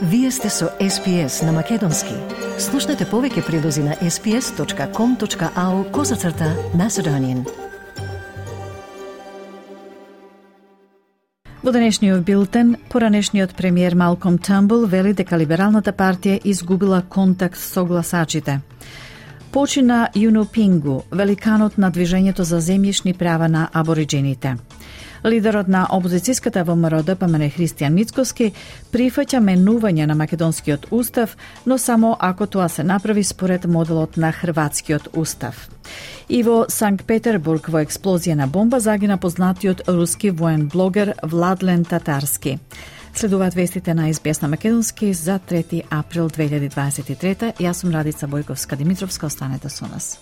Вие сте со SPS на Македонски. Слушнете повеќе прилози на sps.com.au/Macedonian. Во денешниот билтен, поранешниот премиер Малком Търнбул вели дека Либералната партија изгубила контакт со гласачите. Почина Юнопингу, великанот на движењето за земјишни права на абориджините. Лидерот на опозицијската ВМРО-ДПМН Христијан Мицкоски прифаќа менување на македонскиот устав, но само ако тоа се направи според моделот на хрватскиот устав. И во Санкт Петербург во експлозија на бомба загина познатиот руски воен блогер Владлен Татарски. Следуваат вестите на SBS на Македонски за 3 април 2023. Јас сум Радица Бојковска-Димитровска, останете со нас.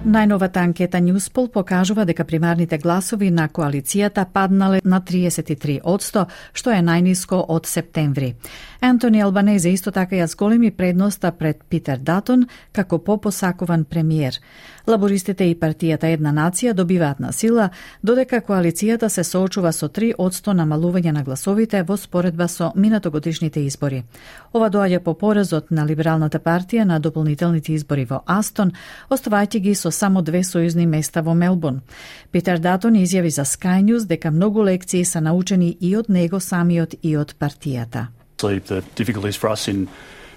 Најновата анкета Newspol покажува дека примарните гласови на коалицијата паднале на 33%, што е најниско од септември. Антони Албанезе исто така ја зголеми предноста пред Питер Датон како попосакуван премиер. Лабористите и партијата Една нација добиваат на сила, додека коалицијата се соочува со 3% намалување на гласовите во споредба со минатогодишните избори. Ова доаѓа по поразот на Либералната партија на дополнителните избори во Астон, оставајќи ги со само 2 сојузни места во Мелбурн. Питер Датон изјави за Sky News дека многу лекции се научени и од него самиот и од партијата. The difficulties for us in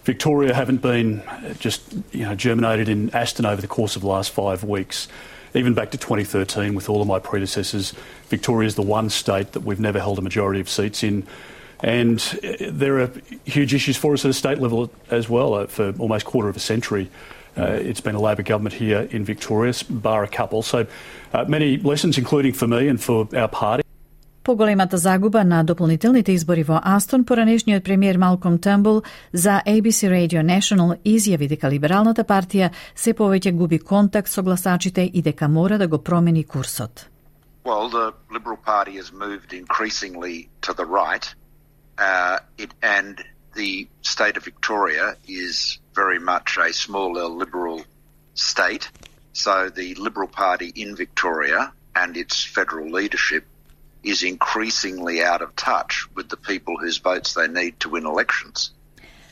Victoria haven't been just germinated in Aston over the course of the last 5 weeks. Even back to 2013 with all of my predecessors, Victoria is the one state that we've never held a majority of seats in. And there are huge issues for us at a state level as well. For almost a quarter of a century, it's been a Labor government here in Victoria, bar a couple. So many lessons, including for me and for our party. Поголемата загуба на дополнителните избори во Астон, поранешниот премиер Малком Търнбул за ABC Radio National изјави дека Либералната партија се повеќе губи контакт со гласачите и дека мора да го промени курсот. Well, the Liberal Party has moved increasingly to the right, and the state of Victoria is very much a smaller Liberal state. So the Liberal Party in Victoria and its federal leadership is increasingly out of touch with the people whose votes they need to win elections.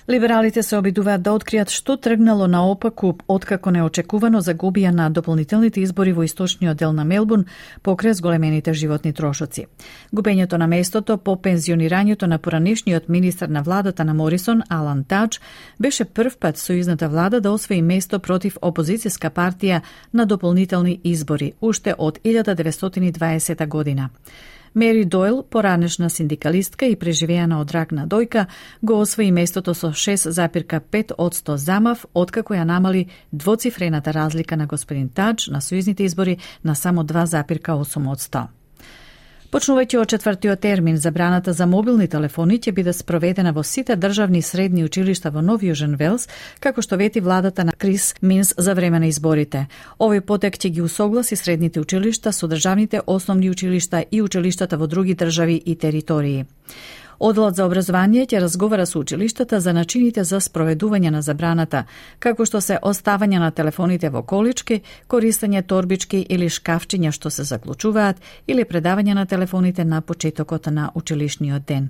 Либералите се обидуваат да откријат што тргнало наопаку откако неочекувано загубија на дополнителните избори во источниот дел на Мелбурн покрај зголемените животни трошоци. Губењето на местото по пензионирањето на поранешниот министар на владата на Морисон, Алан Тадж, беше прв пат сојузната влада да освои место против опозицијска партија на дополнителни избори, уште од 1920 година. Мери Дойл, поранешна синдикалистка и преживеана од рак на дојка, го освои местото со 6,5% замав, откако ја намали двоцифрената разлика на господин Тадж на сојузните избори на само 2,8%. Почнувајќи од 4-тиот термин, забраната за мобилни телефони ќе биде спроведена во сите државни средни училишта во Нов Јужен Велс, како што вети владата на Крис Минс за време на изборите. Овој потек ќе ги усогласи средните училишта со државните основни училишта и училиштата во други држави и територии. Одделот за образование ќе разговара со училиштата за начините за спроведување на забраната, како што се оставање на телефоните во колички, користење торбички или шкафчиња што се заклучуваат или предавање на телефоните на почетокот на училишниот ден.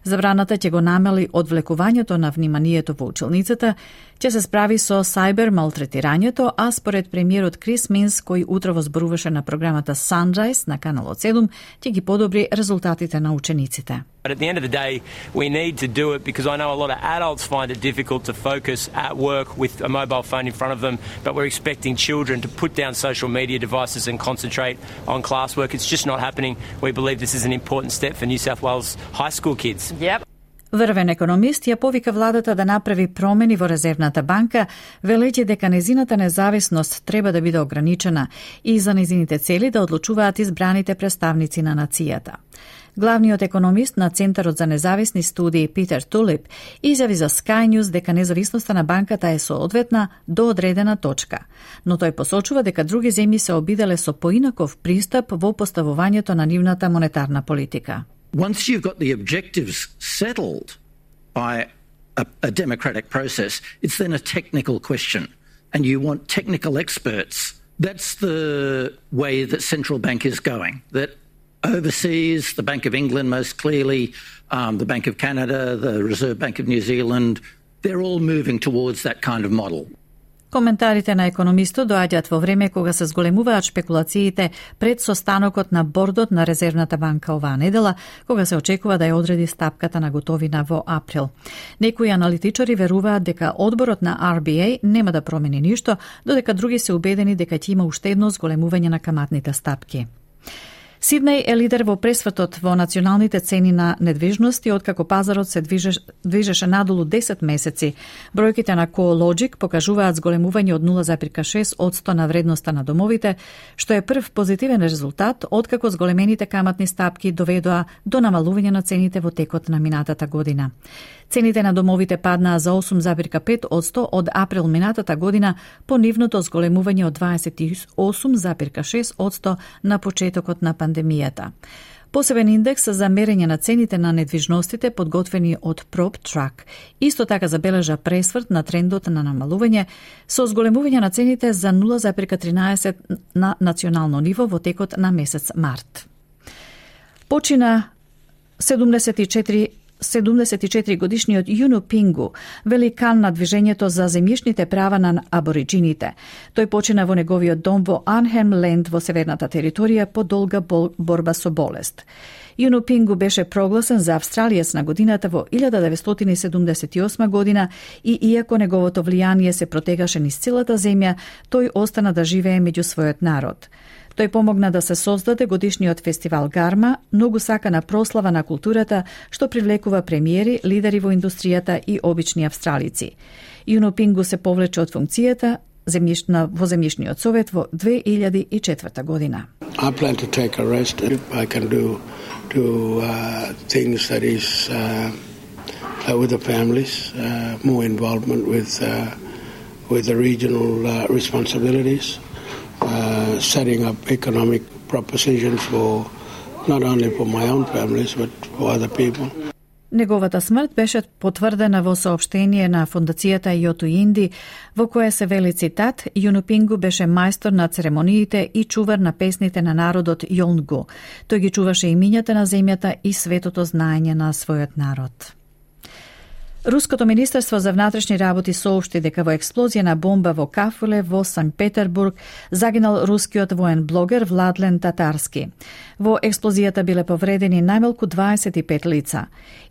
Забраната ќе го намали одвлекувањето на вниманието во училницата, ќе се справи со сајбер малтретирањето, а според премиерот Крис Минс, кој утрово зборуваше на програмата Sunrise на каналот 7, ќе ги подобри резултатите на учениците. But at the end of the day, we need to do it because I know a lot of adults find it difficult to focus at work with a mobile phone in front of them, but we're expecting children to put down social media devices and concentrate on classwork. It's just not happening. We believe this is an important step for New South Wales high school kids. Yep. Врвен економист ја повика владата да направи промени во Резервната банка, велејќи дека незината независност треба да биде ограничена и за незините цели да одлучуваат избраните представници на нацијата. Главниот економист на Центарот за независни студии Питер Тулип изјави за Sky News дека независноста на банката е соодветна до одредена точка, но тој посочува дека други земји се обиделе со поинаков пристап во поставувањето на нивната монетарна политика. Once you've got the objectives settled by a democratic process, it's then a technical question, and you want technical experts. That's the way that central bank is going, that Overseas, the Bank of England most clearly, the Bank of Canada, the Reserve Bank of New Zealand, they're all moving towards that kind of model. Коментарите на економистот доаѓаат во време кога се зголемуваат шпекулациите пред состанокот на бордот на Резервната банка оваа недела, кога се очекува да ја одреди стапката на готовина во април. Некои аналитичари веруваат дека одборот на RBA нема да промени ништо, додека други се убедени дека ќе има уште едно зголемување на каматните стапки. Сиднеј е лидер во пресвртот во националните цени на недвижности, откако пазарот се движеше надолу 10 месеци. Бројките на CoreLogic покажуваат зголемување од 0,6% на вредноста на домовите, што е прв позитивен резултат откако зголемените каматни стапки доведоа до намалување на цените во текот на минатата година. Цените на домовите паднаа за 8,5% од април минатата година по нивното зголемување од 28,6% на почетокот на пандемијата. Посебен индекс за мерење на цените на недвижностите подготвени од PropTrack исто така забележа пресврт на трендот на намалување со зголемување на цените за 0,13 на национално ниво во текот на месец март. Почина 74-годишниот Юну Пингу, великан на движењето за земјишните права на абориджините. Тој почина во неговиот дом во Арнхем Ленд во северната територија по долга борба со болест. Юну Пингу беше прогласен за австралиец на годината во 1978 година и иако неговото влијание се протегаше низ целата земја, тој остана да живее меѓу својот народ. Тој помогна да се создаде годишниот фестивал Гарма, многу сакана прослава на културата, што привлекува премиери, лидери во индустријата и обични австралици. Юну Пингу се повлече од функцијата во земјишниот совет во 2004 година. I plan to take a rest if I can do things that is with the families, more involvement with the regional responsibilities. Setting up economic propositions for not only for my own families but for other people. Неговата смрт беше потврдена во соопштение на фондацијата Јоту Инди, во кое се вели цитат: Юну Пингу беше мајстор на церемониите и чувар на песните на народот Јонгу. Тој ги чуваше имињата на земјата и светото знаење на својот народ. Руското министерство за внатрешни работи соопшти дека во експлозија на бомба во кафеле во Санкт Петербург загинал рускиот воен блогер Владлен Татарски. Во експлозијата биле повредени најмалку 25 лица.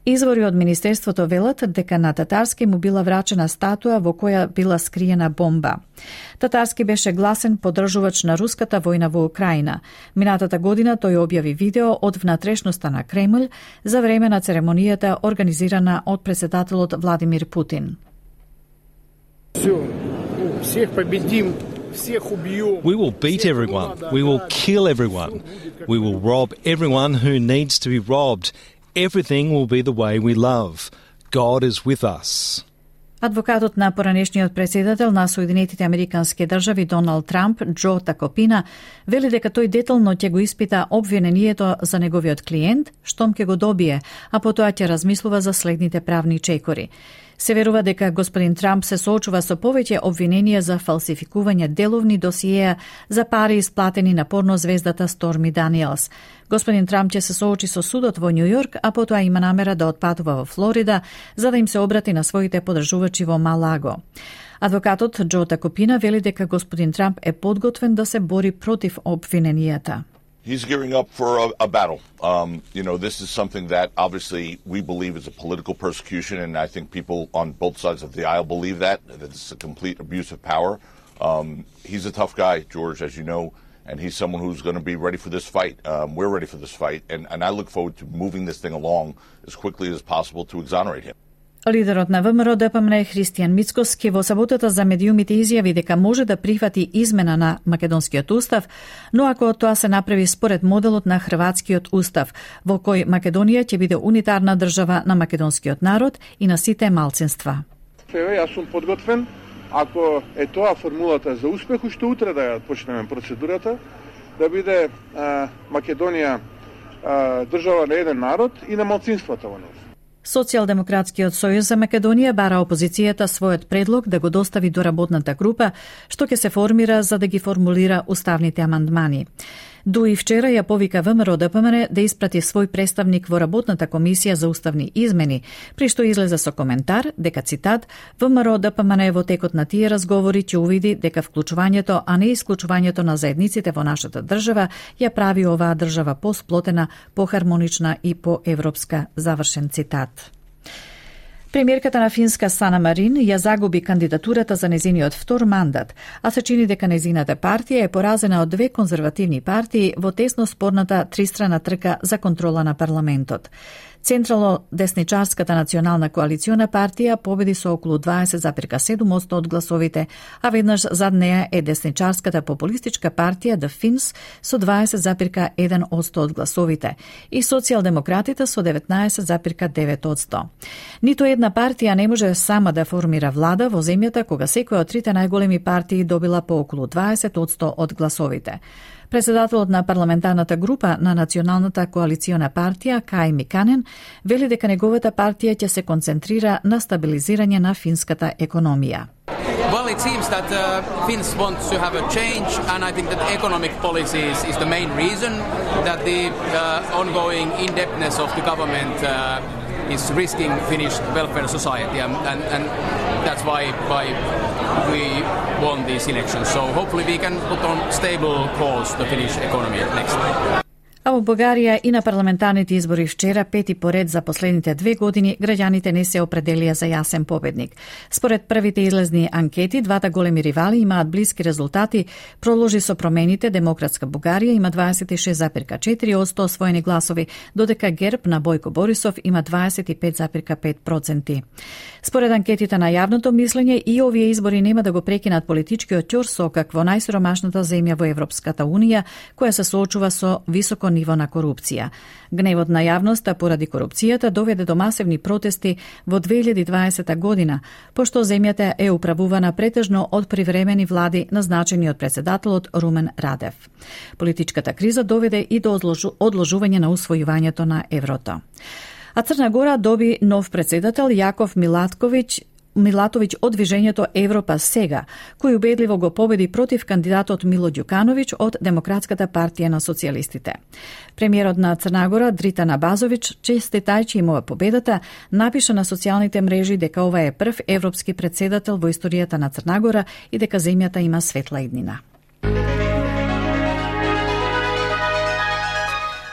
Извори од министерството велат дека на Татарски му била врачена статуа во која била скриена бомба. Татарски беше гласен поддржувач на руската војна во Украина. Минатата година тој објави видео од внатрешноста на Кремљ за време на церемонијата организирана од председателот Владимир Путин. We will beat everyone. We will kill everyone. We will rob everyone who needs to be robbed. Everything will be the way we love. God is with us. Адвокатот на поранешниот председател на Соединетите Американски држави Доналд Трамп, Джо Такопина, вели дека тој детално ќе го испита обвинението за неговиот клиент, штом ќе го добие, а потоа ќе размислува за следните правни чекори. Се верува дека господин Трамп се соочува со повеќе обвиненија за фалсификување деловни досиеа за пари исплатени на порнозвездата Сторми Даниелс. Господин Трамп ќе се соочи со судот во Њу Јорк, а потоа има намера да отпатува во Флорида за да им се обрати на своите поддржувачи во Малаго. Адвокатот Джо Такопина вели дека господин Трамп е подготвен да се бори против обвиненијата. He's gearing up for a battle. This is something that obviously we believe is a political persecution, and I think people on both sides of the aisle believe that it's a complete abuse of power. He's a tough guy, George, as you know, and he's someone who's going to be ready for this fight. We're ready for this fight, and I look forward to moving this thing along as quickly as possible to exonerate him. Лидерот на ВМРО ДПМН Христијан Мицкоски во саботата за медиумите изјави дека може да прифати измена на македонскиот устав, но ако тоа се направи според моделот на хрватскиот устав, во кој Македонија ќе биде унитарна држава на македонскиот народ и на сите малцинства. Јас сум подготвен, ако е тоа формулата за успех, уште утре да ја почнеме процедурата, да биде Македонија држава на еден народ и на малцинствата во неја. Социјалдемократскиот сојуз за Македонија бара опозицијата својот предлог да го достави до работната група, што ќе се формира за да ги формулира уставните амандмани. Дуи вчера ја повика ВМРО ДПМН да испрати свој представник во работната комисија за уставни измени, при што излезе со коментар дека, цитат, ВМРО ДПМН во текот на тие разговори ќе увиди дека вклучувањето, а не исклучувањето на заедниците во нашата држава ја прави оваа држава посплотена, похармонична и поевропска, завршен цитат. Премиерката на Финска Сана Марин ја загуби кандидатурата за незиниот втор мандат, а се чини дека незината партија е поразена од две конзервативни партии во тесно спорната тристрана трка за контрола на парламентот. Централно-десничарската национална коалициона партија победи со околу 20,7% од гласовите, а веднаш зад неа е десничарската популистичка партија The Finns со 20,1% од гласовите и социјалдемократите со 19,9%. Ниту една партија не може сама да формира влада во земјата кога секоја од трите најголеми партии добила по околу 20% од гласовите. Председателот на парламентарната група на Националната коалициона партија, Кај Миканен, вели дека неговата партија ќе се концентрира на стабилизирање на финската економија. Well, it seems that Finns want to have a change, and I think that economic policies is the main reason that the ongoing indebtedness of the government is risking Finnish welfare society, and that's why we won these elections. So hopefully we can put on stable course the Finnish economy next time. А во Бугарија и на парламентарните избори вчера, пети поред за последните 2 години, граѓаните не се определија за јасен победник. Според првите излезни анкети, двата големи ривали имаат блиски резултати. Проложи со промените, Демократска Бугарија има 26,4% освоени гласови, додека ГЕРБ на Бојко Борисов има 25,5%. Според анкетите на јавното мислење, и овие избори нема да го прекинат политичкиот ќорсокак во најсиромашната земја во Европската Унија, која се соочува со високо ниво на корупција. Гневот на јавноста поради корупцијата доведе до масивни протести во 2020 година, пошто земјата е управувана претежно од привремени влади назначени од председателот Румен Радев. Политичката криза доведе и до одложување на усвојувањето на еврото. А Црна Гора доби нов председател Јаков Милатовиќ од движењето Европа сега, кој убедливо го победи против кандидатот Мило Ѓукановиќ од Демократската партија на социјалистите. Премиерот на Црна Гора Дритан Абазовиќ, честитајќи им ова победата, напиша на социјалните мрежи дека ова е прв европски председател во историјата на Црна Гора и дека земјата има светла иднина.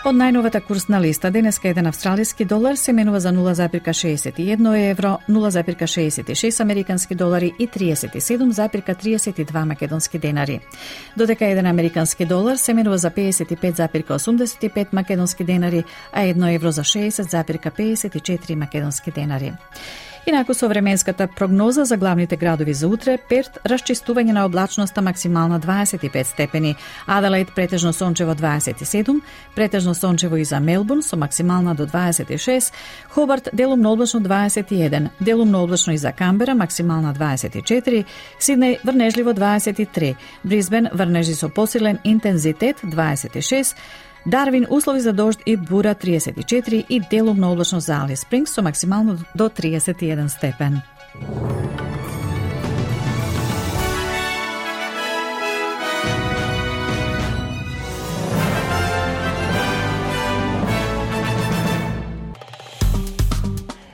Од најновата курсна листа, денеска еден австралиски долар се менува за 0,61 евро, 0,66 американски долари и 37,32 македонски денари. Додека еден американски долар се менува за 55,85 македонски денари, а 1 евро за 60,54 македонски денари. Инаку со временската прогноза за главните градови за утре, Перт расчистување на облачноста максимална 25 степени, Аделаид претежно сончево 27, претежно сончево и за Мелбурн со максимална до 26, Хобарт делумно облачно 21, делумно облачно и за Камбера максимална 24, Сиднеј врнежливо 23, Брисбен врнежи со посилен интензитет 26, Дарвин услови за дожд и бура 34 и делумно облачно за Алис Спрингс со максимално до 31 степен.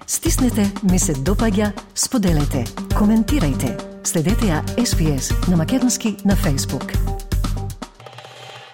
Стиснете, ми се допаѓа, споделете, коментирајте. Следете ја SPS на Македонски на Facebook.